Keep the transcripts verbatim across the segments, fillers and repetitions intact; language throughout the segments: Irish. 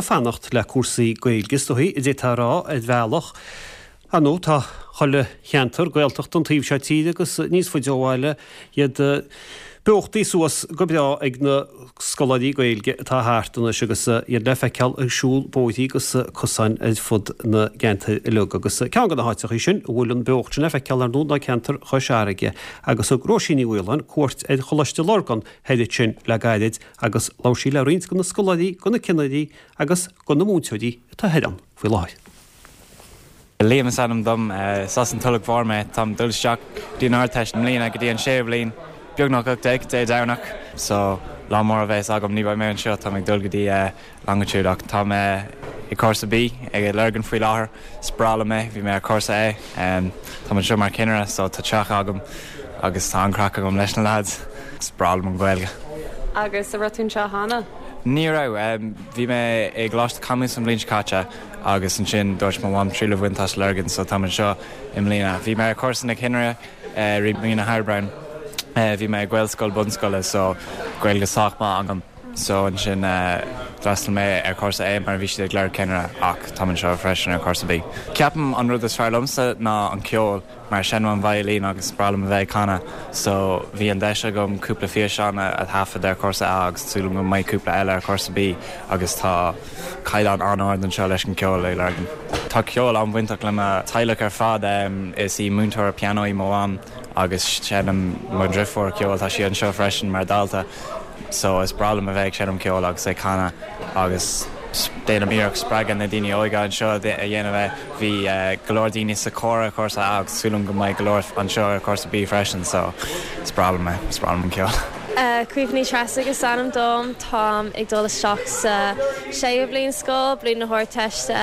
fanacht le cúrsaí Gaeilge is dóichí a d'fhéadfá a rá ar bhealach. Ar ndóigh tá chuile cheantar Gaeltacht an taobh seo tíre agus níos faide ó bhaile iad beochtaí suas go breá ag na scoláirí Gaeilge atá thart anois agus iad le feiceáil ag siúl bóithrí agus cosáin ar fud na gceantar uilig agus ceann de na háiteacha sin a bhfuil an beocht sin le feiceáil ar ndóigh ná ceantar Chois Fharraige agus thug Róisín Ní Mhaoláin cuairt ar Choláiste Lurgan thoir ansin le gairid agus labhair sí le roinnt de na scoláirí, de na cinnirí agus de na múinteoirí atá thoir ann faoi láthair. Liam is ainm dom is as an Tulach Mhór mé táim dul isteach dtí an Ardteist i mbliana go dtí an séú bliain beagnach ocht déag Dé Domhnach so lá mór a bheas agam ní bheidh mé anseo tá ag dul go dtí Longitude ach tá mé i cúrsa B ag Lurgan faoi láthair is breá liom é bhí mé ar cúrsa A tá anseo mar chinnire so tá teach agam agus tá an-chraic agam leis na lads is breá liom an Ghaeilge. Agus an raibh tú anseo cheana? Ní raibh bhí mé i gColáiste Camus an bhliain seo caite agus ansin dúirt mo mham triail a bhaint as Lurgan so tá anseo i mbliana. Bhí mé ar cúrsa na cinnire roimh mí na hAibreán bhí mé Gaelscoil bunscoile so Gaeilge sách maith agam. So ansin d'fhreastail mé ar cúrsa A mar bhí siad ag lorg cinnire ach tá seo freisin ar cúrsa B. Ceapaim an rud is fearr liomsa ná an ceol mar seinnim an veidhlín agus breá liom a bheith ag canadh, so bhí an deis agam cúpla físeán a thaifead ar cúrsa A agus súil go mbeidh cúpla eile ar cúrsa B agus tá caighdeán an-ard anseo leis an ceol ag Lurgan. Tá ceol an-bhainteach le mo teaghlach ar fad is í múinteoir pianó í mo mham agus seinneann mo dheirfiúr ceol tá sí anseo freisin mar dalta. So is breá liom a bheith ag seinm ceol agus ag canadh agus déanaim iarracht spreagadh na daoine óga anseo a dhéanamh é bhí go leor daoine sa chór ar cúrsa A agus súil agam go mbeidh go leor anseo ar cúrsa B freisin so is breá liom é is breá liom an ceol. Caoimhe Ní Threasaigh is ainm dom táim ag dul isteach sa séú bliain scoil, bliain na hArdteiste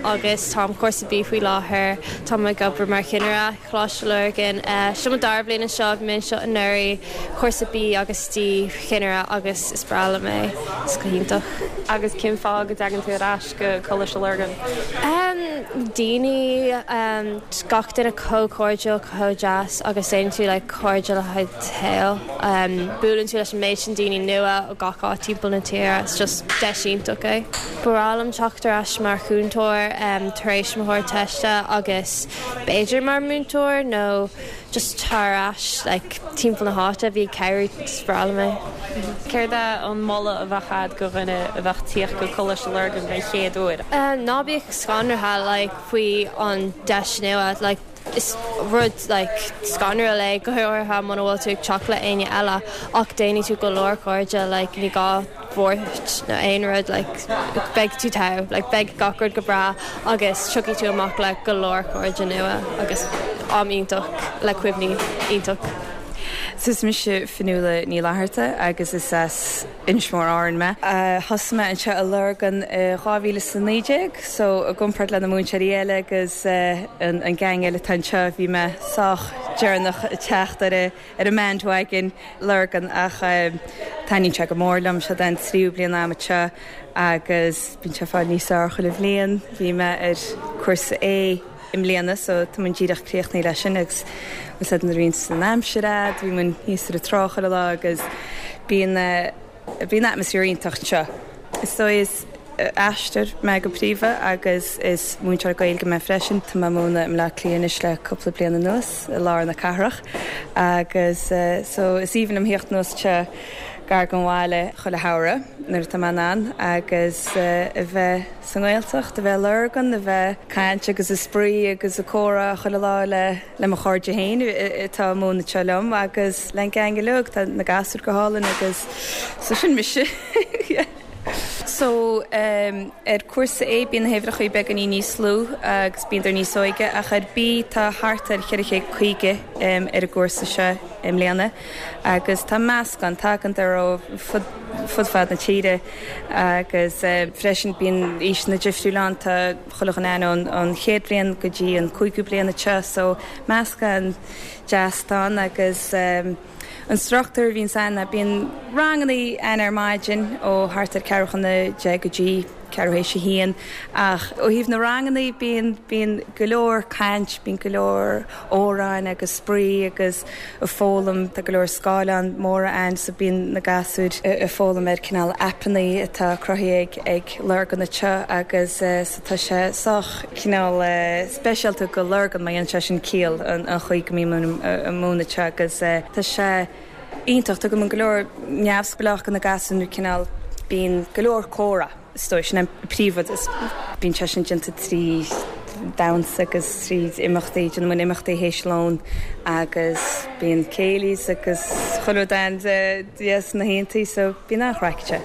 agus táim cúrsa B faoi láthair Táim ag obair mar chinnire Choláiste Lurgan. Seo mo dara bliain anseo bhí mé anseo anuraidh cúrsa B agus D chinnire agus is breá liom é is go hiontach. Agus cén fáth go dtagann tú ar ais go Coláiste Lurgan? Um, daoine um, gach duine chomh cairdiúil chomh deas agus déanann tú le cairde le haghaidh saoil. Um, buaileann tú leis an méid sin daoine nua ó gach áit timpeall na tíre, it's just deis iontach é. Ba bhreá liom teacht ar ais mar chúntóir um, tar éis mo hArdteiste agus b'fhéidir mar múinteoir nó just tar ais like, timpeall na háite bhí ceir breá liom é. Céard é an moladh a bheadh agat do dhuine a bheadh ag tíocht go Coláiste Lurgan den chéad uair. Um, ná bíodh scanraithe like, faoi an deis nua like, is rud like, scanrúil é go háirithe muna bhfuil tú ag teacht le éinne eile ach déanfaidh tú go leor cairde like, ní gá buairt nó aon rud like, beidh tú togha like, beidh gach rud go breá agus tiocfaidh tú amach le go leor cairde nua agus am iontach le cuimhní iontach. Is mise Fionnuala Ní Fhlatharta agus is as Inis Mór Árann mé. Thosaigh mé anseo i Lurgan dhá mhíle is a naoi déag, so i gcomparáid le na múinteoirí eile agus an gang eile atá anseo bhí mé sách deireanach ag teacht ar ar an bandwagon Lurgan ach taitníonn sé go mór liom seo an tríú bliain agam anseo agus bíonn sé ag fáil níos fearr chuile bhliain, bhí mé ar cúrsa A i mbliana so tá mé díreach críochnaithe leis sin agus úsáid na roinnt san aimsir bhí muid thíos ar an trá chuile lá agus bíonn bíonn atmaisféar iontach anseo. So is aisteoir mé go príomha agus is múinteoir Gaeilge mé freisin Tá mé ag múineadh i mBaile Átha Cliath anois le cúpla bliain anuas i lár na cathrach agus so is aoibhinn liom theacht anuas anseo gar don bhaile chuile shamhradh nuair atá mé in ann agus a bheith sa nGaeltacht, a bheith Lurgan, a bheith caint agus ag spraoi agus ag comhrá chuile lá le le mo chairde féin atá ag múineadh anseo liom agus le an gang uilig tá na gasúir go hálainn agus so sin mise. So um, ar cúrsa A bíonn na huimhreacha beagáinín níos lú agus bíonn níos óige ach ar B tá thart ar cheithre chéad caoga um, ar an gcúrsa seo i mbliana agus tá meascán tagann ar ó fud fud fad na tíre agus uh, freisin bíonn aoiseanna difriúla ann tá chuile dhuine ón an chéad bhliain go dtí an cúigiú bliain anseo so meascán deas ann agus um, an struchtúr bhíonn ann bíonn ranganna ann ar maidin ó thart ar ceathrú chun a deich go dtí ceathrú théis a haon ach ó thaobh na ranganna bíonn bíonn go leor caint, bíonn go leor amhráin agus spraoi agus ag foghlaim tá go leor scáileán móra ann so bíonn na gasúir ag foghlaim ar cineál aipeanna atá cruthaithe ag ag Lurgan anseo agus so tá sé sách cineál speisialta go Lurgan má dhéanann sé sin ciall an an chaoi go mbíonn ag múineadh anseo agus tá sé iontach tugann go leor neamhspleách do na gasúir nó cineál bíonn go leor comhrá is dóigh sin an príomhrud is bíonn sé sin déanta trí damhsa agus trí imeachtaí déanann muid imeachtaí théis lón agus bíonn céilís agus chuile rud ann yes na haontaí so bíonn an-chraic anseo.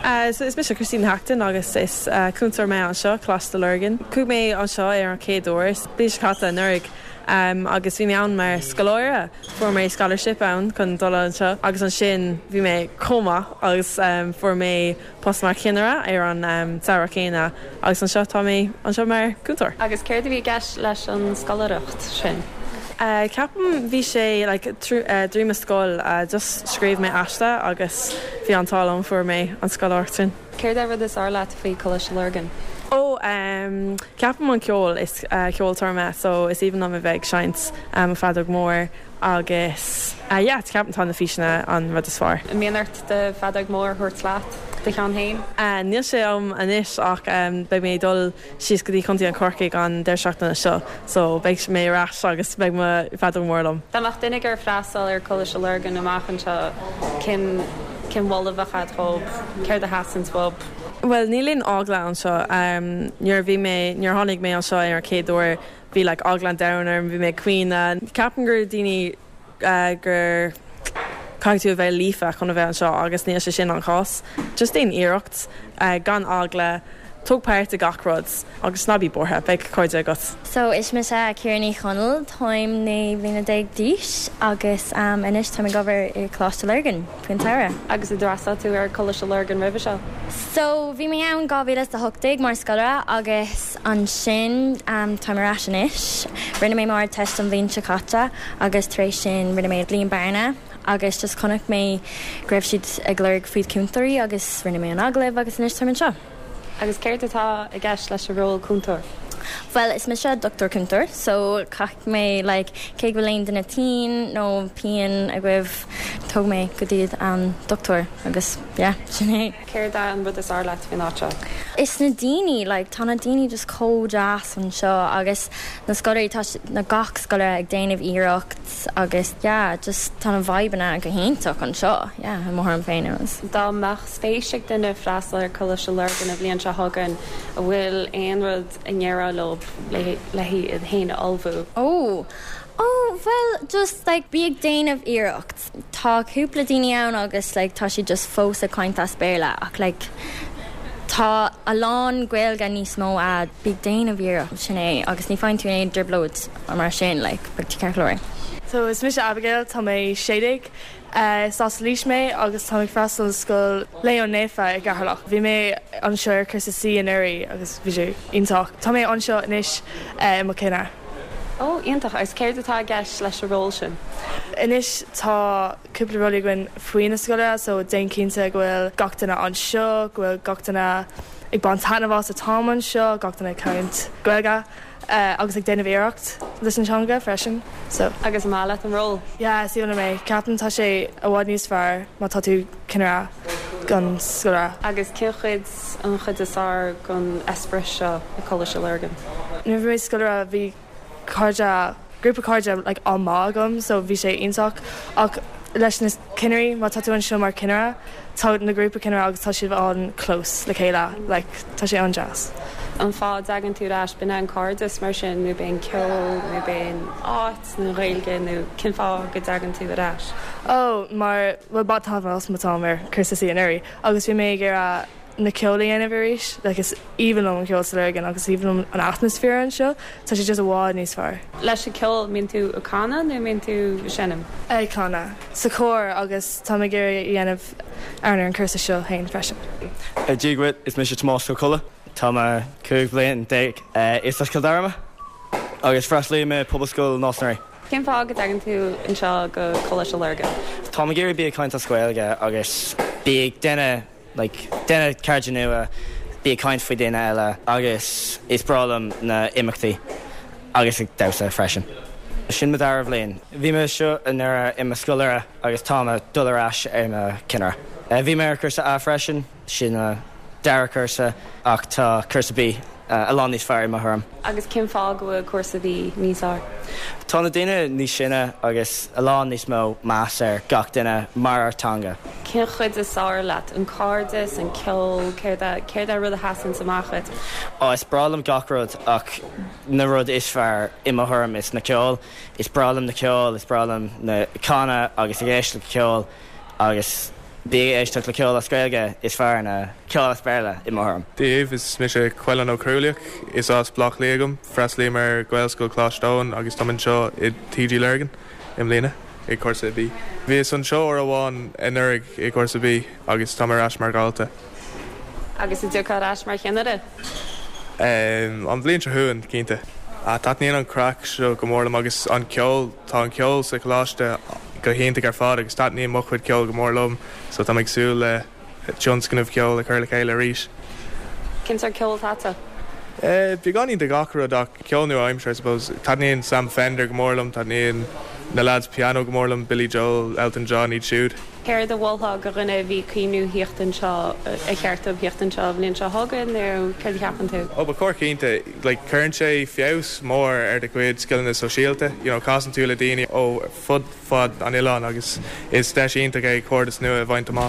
Uh, so is mise Christine Hackton agus is uh, cúntóir mé anseo Coláiste Lurgan. Chuaigh mé anseo ar an chéad uair, bliain seo caite anuraidh um, agus bhí mé ann mar scoláire fuair mé scholarship ann chun dul anseo agus ansin bhí mé chomh maith agus um, fuair mé post mar chinnire ar an um, samhradh céanna agus anseo tá mé anseo mar cúntóir. Agus céard a bhí i gceist leis an scoláireacht sin? Uh, ceapaim bhí sé like, uh, trí mo scoil uh, just scríobh mé aiste agus bhí an t-ádh liom fuair mé an scoláireacht sin. Céard é rud is fearr leat faoi Coláiste Lurgan? Ó um, ceapaim an ceol is uh, ceoltóir mé so is aoibhinn liom a bheith ag seinnt um, feadóg mór agus uh, yeah, ceapaim tá na físeanna an rud is fearr. An mbíonn ort do feadóg mór a thabhairt leat do cheann féin? Uh, Níl sé agam anois ach um, beidh mé dul síos go dtí Contae an Chorcaigh an deireadh seachtaine seo, so beidh mé ar ais agus beidh mo feadóg mór liom. Dá mbeadh duine ag iarraidh freastal ar Coláiste Lurgan amach anseo cén cén mholadh a bheadh agat dóibh céard a theastaíonn uathu. Well níl aon eagla anseo um, nuair bhí mé nuair tháinig mé anseo ar an chéad uair bhí like, eagla an domhain orm bhí mé caoineadh. Ceapaim gur daoine uh, gur caithfidh tú a bheith líofa chun a bheith anseo agus níl sé sin an cás. Just déan iarracht uh, gan eagla tóg páirt i gach rud agus ná bí buartha beidh cairde agat. So is mise Ciara Ní Chonaill táim naoi mbliana déag d'aois agus um, anois táim ag obair i Coláiste Lurgan faoin samhradh. Agus ar fhreastail tú ar Coláiste Lurgan roimhe seo. So bhí mé ann dhá mhíle a hocht déag mar scoláire agus ansin um, táim ar ais anois. Rinne mé m'Ardteist an bhliain seo caite agus tar éis sin rinne mé bliain bearna agus just chonaic mé go raibh siad ag lorg faoi cúntóirí agus rinne mé an agallamh agus anois táim anseo. Agus céard atá i gceist leis an ról cúntóir. Well is mise doctor cúntóir, so caithfidh mé like, cé go bhfuil aon duine tinn nó pian agaibh tóg mé go dtí an doctor agus yeah, sin é. Céard é an rud is fearr leat faoin áit seo? Is na daoine like, tá na daoine just chomh deas anseo agus na scoláirí tá na gach scoláire ag déanamh iarracht agus yeah, just tá na vibeanna go hiontach anseo yeah, mo thuairim féin. Dá mbeadh spéis ag duine freastal ar Coláiste Lurgan an bhliain seo chugainn an bhfuil aon rud a ndéarfá leo le le iad féin a ullmhú. Oh. Oh, well, just like bí ag déanamh iarracht. Tá cúpla daoine ann agus like, tá siad just fós ag caint as Béarla ach like, tá a lán Gaeilge níos mó a bí ag déanamh iarracht sin é agus ní fhaigheann tú aon trioblóid mar sin like, beidh tú ceart go leor. So is mise Abigail tá mé sé déag Uh, is as Laois mé agus tá freastal scoil Leon Naofa i gCeatharlach. Bhí mé anseo ar cúrsa C anuraidh agus bhí sé iontach. Tá mé anseo anois uh, i mo chinnire. Ó iontach agus céard atá i gceist leis an ról sin. Anois tá cúpla rudaí againn faoi na scoile, so déan cinnte go bhfuil gach duine anseo, go bhfuil gach duine ag baint taitneamh as an t-am anseo, gach duine ag caint Gaeilge. Uh, agus ag déanamh iarracht leis an teanga freisin so agus an maith leat an ról. Yeah, sí mé ceapaim tá sé i bhfad níos fearr má tá tú cinnire gan scoláire. Agus cén chuid an chuid is fearr den eispéireas seo i Coláiste Lurgan. Nuair bhí mé scoláire bhí cairde grúpa cairde like, an-mhaith agam, so bhí sé iontach ach leis na cinnirí má tá tú anseo mar chinnire tá na grúpa cinnire agus tá siad an-close le chéile like, tá sé an-deas. An fáth a dtagann tú ar ais b'in an cairdeas mar sin nó b'in ceol nó b'in áit nó Gaeilge nó cén fáth go dtagann tú ar ais. Ó mar well bhain taitneamh as mo am ar cúrsa C anuraidh agus bhí mé ag iarraidh na ceol a dhéanamh arís, like is aoibhinn liom an ceol sa Lurgan agus aoibhinn liom an atmaisféar anseo, tá sé just i bhfad níos fearr. Leis an ceol mbíonn tú ag canadh nó mbíonn tú ag seinm? Ag canadh sa chór agus tá mé ag iarraidh a dhéanamh ar an cúrsa seo féin freisin. Dia duit is mise Tomás Ó Colla Tá mé cúig bliana déag is as Cill Dara mé agus freastalaím ar Pobalscoil Nás na Rí. Cén fáth go dtagann tú anseo go Coláiste Lurgan? Tá mé ag iarraidh bí ag caint as Gaeilge agus bí ag déanamh Like déanamh cairde nua bí ag caint faoi daoine eile agus is breá liom na imeachtaí agus ag damhsa freisin. Sin mo dara bhliain. Bhí mé anseo anuraidh i mo scoláire agus tá mé dul ar ais ar mo ceannaire. Bhí mé ar cúrsa A freisin sin dara cúrsa ach tá cúrsa B a lán níos fearr i mo thuairim. Agus cén fáth go bhfuil cúrsa B níos fearr? Tá na daoine níos sine agus a lán níos mó meas ar gach duine mar ar teanga. Cén chuid is fearr leat an cairdeas an ceol céard céard rud a sheasann amach duit? Á is breá liom gach rud ach na rud is fearr i mo thuairim is na ceol, is breá liom na ceol, is breá liom na canadh agus ag éisteacht le ceol agus bí éisteacht le ceol as Gaeilge is fearr ná ceol as Béarla i mo thuairim. Dia daoibh is mise Cuilan Ó Crualaoich is as Bleá Cliath dom, freastalaím ar Ghaelscoil Choláiste Eoin agus tá anseo i TG Lurgan i mbliana i cúrsa B. Bhíos anseo uair amháin anuraidh i cúrsa B agus tá ar ais mar dhalta. Agus an dtiocfaidh ar ais mar cheannaire? Um, an bhliain seo chugainn cinnte. Taitníonn an craic seo go mór liom agus an ceol tá an ceol sa choláiste go hiontach ar fad agus taitníonn mo chuid ceol go mór liom, so tá ag súil le tionscnamh ceol a chur le chéile arís. Cén sórt ceol atá? Uh, Beagáinín de gach rud ach ceol nua-aimseartha I suppose. Taitníonn Sam Fender go mór liom, taitníonn na lads piano go mór liom Billy Joel, Elton John iad siúd. Céard a mholfá do dhuine a bhí ag cuimhneamh theacht anseo ar cheart dóibh theacht anseo bhliain seo chugainn nó céard a cheapann tú? Ó ba chóir cinnte, like, cuireann sé feabhas mór ar do chuid scileanna sóisialta, you know, casann tú le daoine ó fud fad an oileáin agus is deis iontach é cairdeas nua a bhaint amach.